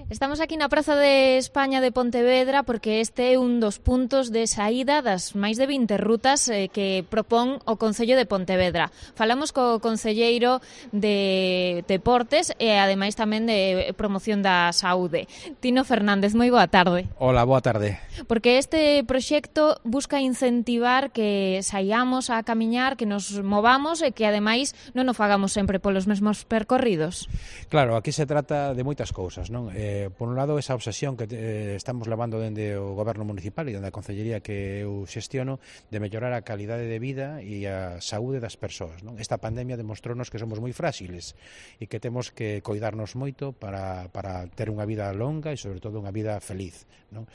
Estamos aquí na Praza de España de Pontevedra porque este é un dos puntos de saída das máis de 20 rutas que propón o Concello de Pontevedra. Falamos co concelleiro de Deportes e ademais tamén de promoción da saúde. Tino Fernández, moi boa tarde. Hola, boa tarde. Porque este proxecto busca incentivar que saiamos a camiñar, que nos movamos e que ademais non o fagamos sempre polos mesmos percorridos. Claro, aquí se trata de moitas cousas, non? Por un lado, esa obsesión que estamos levando dende o Goberno Municipal e dende a Concellería que eu xestiono de mellorar a calidade de vida e a saúde das persoas, non? Esta pandemia demostrounos que somos moi frágiles e que temos que coidarnos moito para ter unha vida longa e, sobre todo, unha vida feliz, non?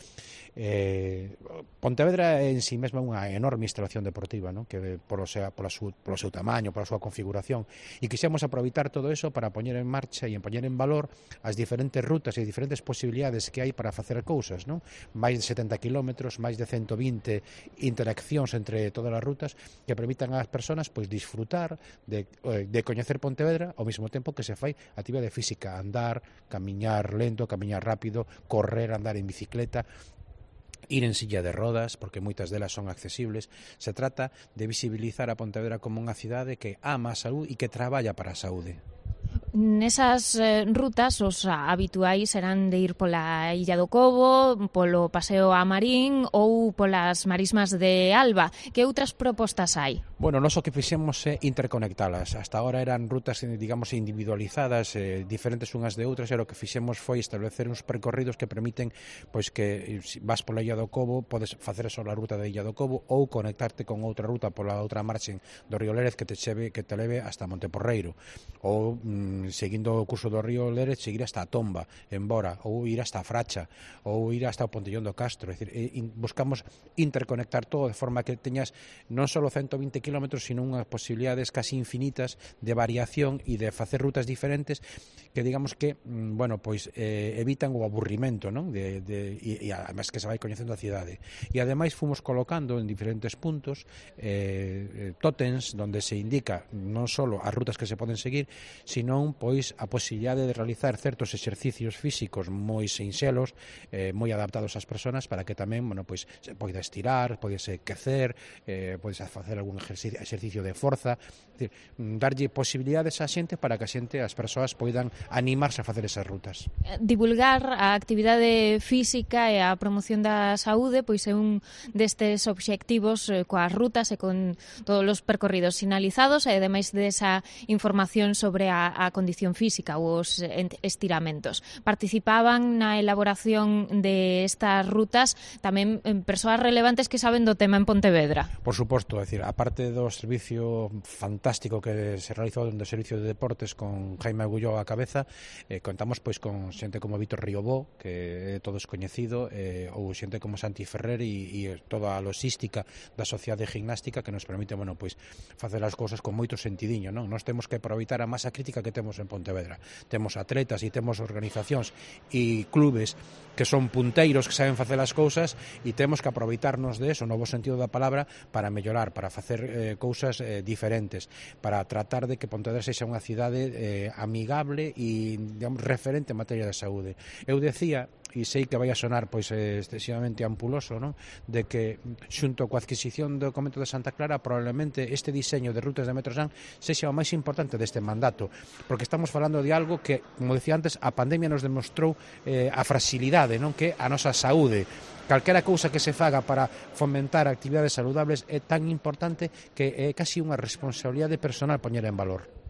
Pontevedra en si mesma é unha enorme instalación deportiva, non? Que polo seu tamaño, pola súa configuración, e quixemos aproveitar todo eso para poñer en marcha e poñer en valor as diferentes rutas e diferentes posibilidades que hai para facer cousas, non? Máis de 70 kilómetros, máis de 120 interaccións entre todas as rutas que permitan ás persoas pois disfrutar de coñecer Pontevedra ao mesmo tempo que se fai actividade física, andar, camiñar lento, camiñar rápido, correr, andar en bicicleta, ir en silla de rodas, porque moitas delas son accesibles. Se trata de visibilizar a Pontevedra como unha cidade que ama a saúde e que traballa para a saúde. Nesas rutas os habituais serán de ir pola Illa do Cobo, polo Paseo a Marín ou polas Marismas de Alba. Que outras propostas hai? Bueno, nós o que fixemos é interconectalas. Hasta agora eran rutas, digamos, individualizadas, diferentes unhas de outras, e o que fixemos foi establecer uns percorridos que permiten pois que vas pola Illa do Cobo, podes facer só a ruta da Illa do Cobo ou conectarte con outra ruta pola outra marxen do río Lérez que te leve hasta Monteporreiro, ou seguindo o curso do río Lérez, seguir hasta a Tomba, en Bora, ou ir hasta a Fracha, ou ir hasta o Pontellón do Castro. É dicir, buscamos interconectar todo de forma que teñas non só 120 kilómetros, sino unhas posibilidades casi infinitas de variación e de facer rutas diferentes que, digamos que, bueno, pois evitan o aburrimento, non? E además que se vai coñecendo a cidade. E ademais fomos colocando en diferentes puntos tótems donde se indica non só as rutas que se poden seguir, sino pois a posibilidade de realizar certos exercicios físicos moi sinxelos, moi adaptados ás persoas para que tamén, bueno, pois se poida estirar, podese quecer, podes facer algún exercicio de forza, decir, darlle posibilidades á xente para que a xente, as persoas poidan animarse a facer esas rutas. Divulgar a actividade física e a promoción da saúde pois é un destes obxectivos coas rutas e con todos os percorridos sinalizados e ademais desa información sobre a condición física ou os estiramentos. Participaban na elaboración de estas rutas tamén persoas relevantes que saben do tema en Pontevedra. Por suposto, é dicir, aparte do servicio fantástico que se realizou do Servicio de Deportes con Jaime Agulló á cabeza, contamos pois con xente como Vítor Riobó, que é todo descoñecido, ou xente como Santi Ferrer e toda a logística da Sociedade Gimnástica que nos permite, bueno, pois facer as cousas con moito sentidiño, non? Nós temos que aproveitar a masa crítica que temos en Pontevedra. Temos atletas e temos organizacións e clubes que son punteiros, que saben facer as cousas, e temos que aproveitarnos de eso, no bo sentido da palabra, para mellorar, para facer cousas diferentes, para tratar de que Pontevedra sexa unha cidade amigable e, digamos, referente en materia de saúde. Eu decía, e sei que vai a sonar pois excesivamente ampuloso, non? De que xunto coa adquisición do Convento de Santa Clara probablemente este diseño de rutas de Metrosan sexa o máis importante deste mandato, porque estamos falando de algo que, como decía antes, a pandemia nos demostrou a fragilidade, non? Que a nosa saúde, calquera cousa que se faga para fomentar actividades saludables é tan importante que é casi unha responsabilidade personal poñer en valor.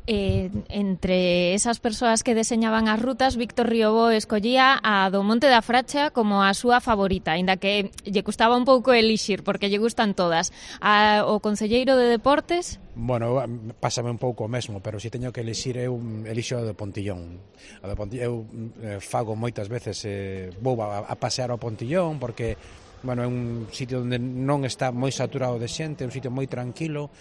Entre esas persoas que deseñaban as rutas, Víctor Riobó escollía a do Monte da Fracha como a súa favorita, aínda que lle custaba un pouco elixir, porque lle gustan todas. O concelleiro de Deportes? Bueno, pásame un pouco o mesmo, pero se teño que elixir eu elixo o de Pontillón. Eu fago moitas veces, vou a pasear ao Pontillón porque bueno, é un sitio onde non está moi saturado de xente, é un sitio moi tranquilo,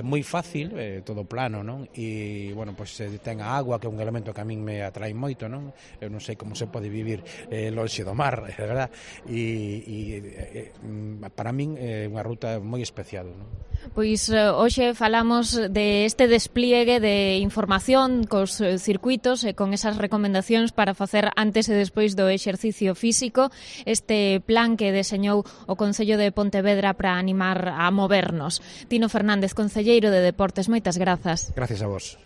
moi fácil, todo plano, non? E, bueno, pois ten a agua, que é un elemento que a min me atrae moito, non? Eu non sei como se pode vivir lonxe do mar, é verdad? E para min é unha ruta moi especial, non? Pois hoxe falamos de este despliegue de información cos circuitos e con esas recomendacións para facer antes e despois do exercicio físico, este plan que deseñou o Concello de Pontevedra para animar a movernos. Tino Fernández, concelleiro de Deportes, moitas grazas. Gracias a vos.